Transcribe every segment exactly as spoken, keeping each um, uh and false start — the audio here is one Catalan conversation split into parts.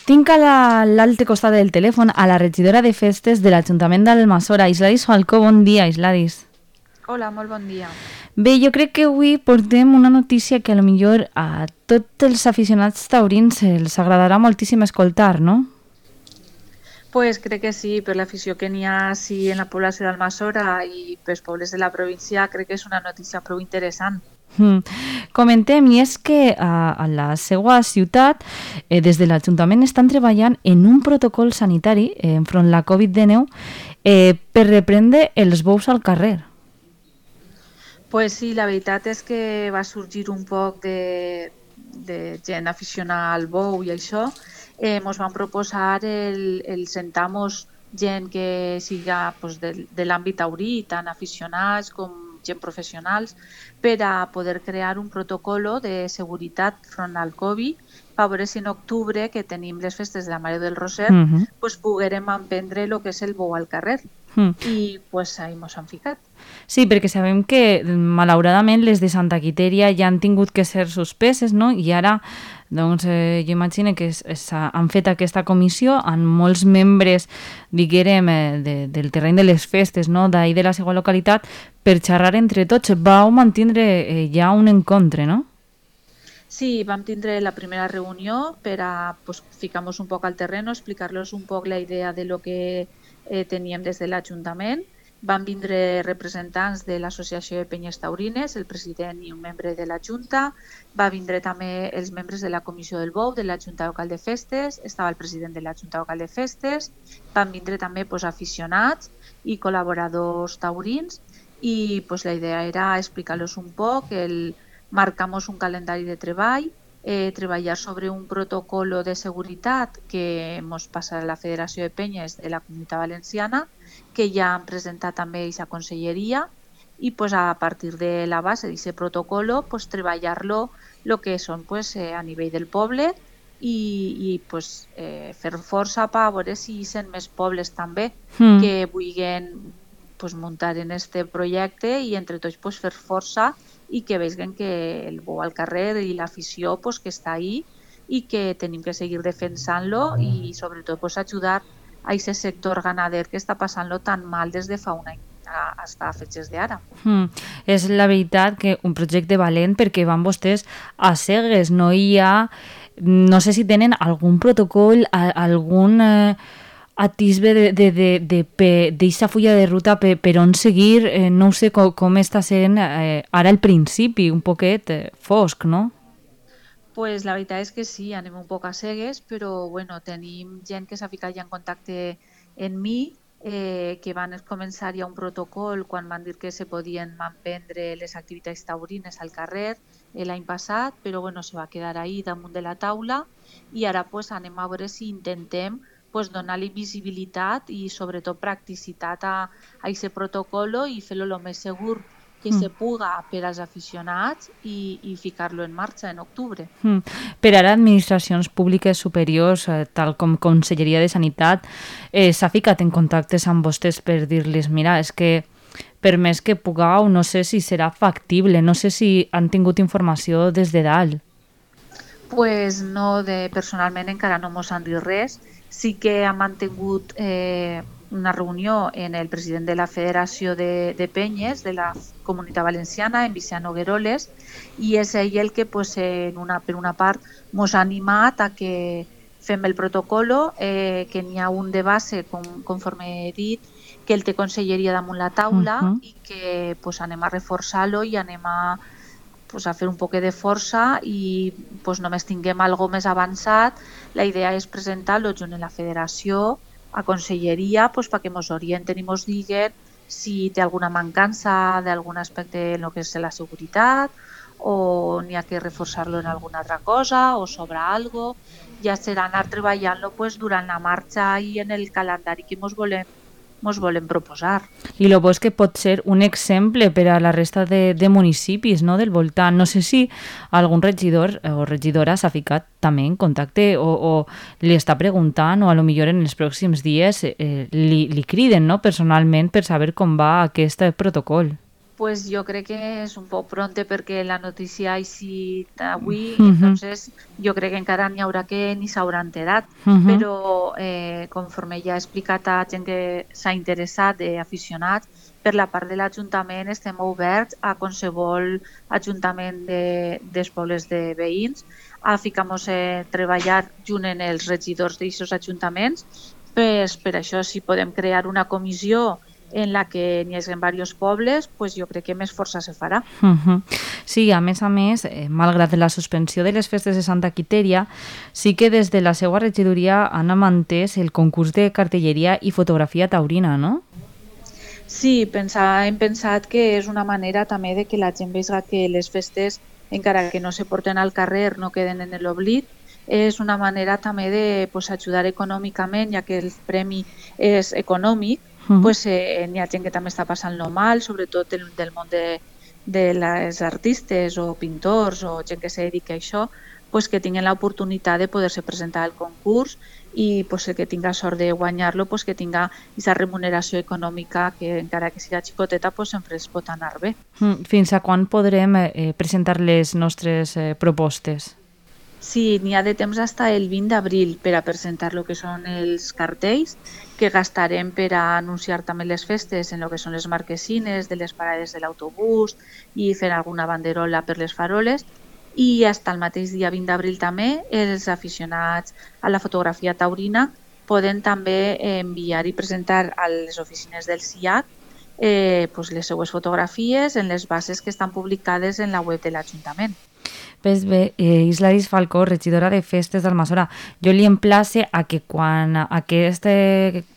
Tinc a la- l'altre costat del telèfon a la regidora de festes de l'Ajuntament d'Almassora, Isladis Falcó. Bon dia, Isladis. Hola, molt bon dia. Bé, jo crec que avui portem una notícia que a lo millor a tots els aficionats taurins els agradarà moltíssim escoltar, no? Pues crec que sí, per l'afició que n'hi ha sí, en la població d'Almassora i pels pobles de la província, crec que és una notícia prou interessant. Mm. Comentem, i és que a, a la seva ciutat, eh, des de l'Ajuntament estan treballant en un protocol sanitari eh, enfront la covid dinou eh, per reprendre els bous al carrer. Pues sí, la veritat és que va sorgir un poc de, de gent aficionada al bou i això. Eh, mos van proposar el, el sentar-nos gent que siga pues, de, de l'àmbit taurí, tant aficionats com gent professionals, per a poder crear un protocolo de seguretat front al Covid, per veure si en octubre, que tenim les festes de la Mare del Roser, Uh -huh. pues, poguérem emprendre el que és el bou al carrer. Mm. I pues, ahí mos han ficat. Sí, perquè sabem que malauradament les de Santa Quiteria ja han tingut que ser suspeses, no? I ara, doncs, eh, jo imagino que es, es, han fet aquesta comissió amb molts membres, diguérem, eh, de, del terreny de les festes, no? D'ahir de la seva localitat, per xerrar entre tots. Vau mantindre eh, ja un encontre, no? Sí, vam tindre la primera reunió per a pues, ficar-nos un poc al terreno, explicar-los un poc la idea de lo que eh, teníem des de l'Ajuntament. Van vindre representants de l'Associació de Penyes Taurines, el president i un membre de la Junta. Va vindre també els membres de la Comissió del Bou, de la Junta Local de Festes, estava el president de la Junta Local de Festes. Van vindre també pues, aficionats i col·laboradors taurins i pues, la idea era explicar-los un poc, el marcamos un calendari de treball, eh, treballar sobre un protocolo de seguretat que ens passarà a la Federació de Penyes de la Comunitat Valenciana, que ja han presentat també a aquesta conselleria, i pues, a partir de la base d'aquest protocolo pues, treballar-lo el que són pues, eh, a nivell del poble i, i pues, eh, fer força per veure si hi són més pobles també Mm. que vulguin pues, muntar en este projecte i entre tots pues, fer força i que vegin que el bou al carrer i l'afició pues, que està ahí i que tenim que seguir defensant-lo i sobretot pues, ajudar a aquest sector ganader que està passant-lo tan mal des de fa un any fins a fetges d'ara. Mm. És la veritat que un projecte valent perquè van vostès a cegues, no hi ha... No sé si tenen algun protocol, a, algun... Eh, atisbe de, de, de, de, de, d'eixa fulla de ruta per, per on seguir, eh, no sé com, com està sent eh, ara al principi, un poquet eh, fosc, no? Pues la veritat és que sí, anem un poc a cegues, però bueno, tenim gent que s'ha ficat ja en contacte en mi, eh, que van començar ja un protocol quan van dir que se podien emprendre les activitats taurines al carrer eh, l'any passat, però bueno, se va quedar ahí damunt de la taula i ara pues, anem a veure si intentem pues, donar-li visibilitat i sobretot practicitat a aquest protocolo i fer-lo el més segur que mm. se puga per als aficionats i, i ficar-lo en marxa en octubre. Mm. Per ara, administracions públiques superiors, eh, tal com Conselleria de Sanitat, eh, s'ha ficat en contactes amb vostès per dir-los, mira, és que per més que pugueu, no sé si serà factible, no sé si han tingut informació des de dalt. Pues no, de, personalment encara no mos han dit res. Sí que ha mantingut eh, una reunió en el president de la Federació de, de Penyes de la Comunitat Valenciana, en Vicent Nogueroles, i és ell el que pues, en una, per una part mos ha animat a que fem el protocolo, eh, que n'hi ha un de base, com, conforme he dit, que el té Conselleria damunt la taula uh -huh. i que pues, anem a reforçar-lo i anem a pues, a fer un poc de força i pues, només tinguem algo més avançat. La idea és presentar-lo junt a la Federació, a Conselleria, pues, perquè ens orienten i ens diguen si té alguna mancança d'algun aspecte en el que és la seguretat o n'hi ha que reforçar-lo en alguna altra cosa o sobra algo. Ja serà anar treballant-lo pues, durant la marxa i en el calendari que ens volem ens volem proposar. I el bo és que pot ser un exemple per a la resta de, de municipis, no?, del voltant. No sé si algun regidor o regidora s'ha ficat també en contacte o, o li està preguntant o a lo millor en els pròxims dies eh, li, li criden, no?, personalment per saber com va aquest protocol. Pues jo crec que és un poc pronte perquè la notícia ha eixit avui, Uh -huh. entonces jo crec que encara n'hi haurà que ni s'haurà enterat, Uh -huh. però eh, conforme ja he explicat a gent que s'ha interessat, d'aficionats, per la part de l'Ajuntament estem oberts a qualsevol ajuntament de, dels pobles de veïns, a ficar-nos a treballar junt en els regidors d'aquests ajuntaments, pues, per això si podem crear una comissió en la que n'hi hagi diversos pobles, pues jo crec que més força se farà. Uh -huh. Sí, a més a més, eh, malgrat la suspensió de les festes de Santa Quitèria, sí que des de la seva regidoria han mantès el concurs de cartelleria i fotografia taurina, no? Sí, pensar, hem pensat que és una manera també de que la gent vegi que les festes, encara que no se porten al carrer, no queden en l'oblit. És una manera també de pues, ajudar econòmicament, ja que el premi és econòmic. Uh -huh. Pues, eh, n'hi ha gent que també està passant-lo mal, sobretot del, del món de, de les artistes o pintors o gent que se dedica a això, pues, que tinguin l'oportunitat de poder-se presentar al concurs i pues, el que tinga sort de guanyar-lo, pues, que tinga aquesta remuneració econòmica que encara que siga xicoteta pues, sempre es pot anar bé. Fins a quan podrem eh, presentar les nostres eh, propostes? Sí, n'hi ha de temps fins el vint d'abril per a presentar el que són els cartells, que gastarem per a anunciar també les festes en el que són les marquesines de les parades de l'autobús i fer alguna banderola per les faroles. I fins el mateix dia vint d'abril també els aficionats a la fotografia taurina poden també enviar i presentar a les oficines del S I A C eh, pues les seues fotografies en les bases que estan publicades en la web de l'Ajuntament. Pues bé, eh, Isladis Falcó, regidora de Festes d'Almassora, jo li emplace a que quan aquest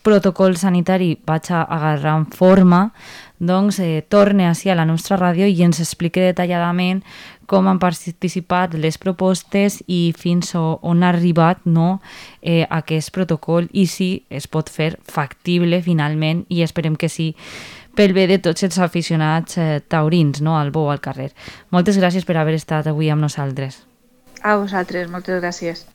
protocol sanitari vaig agarrant forma, doncs eh, torne així a la nostra ràdio i ens expliqui detalladament com han participat les propostes i fins on ha arribat no, eh, aquest protocol i si es pot fer factible finalment, i esperem que sí, pel bé de tots els aficionats eh, taurins, no, al bo al carrer. Moltes gràcies per haver estat avui amb nosaltres. A vosaltres, moltes gràcies.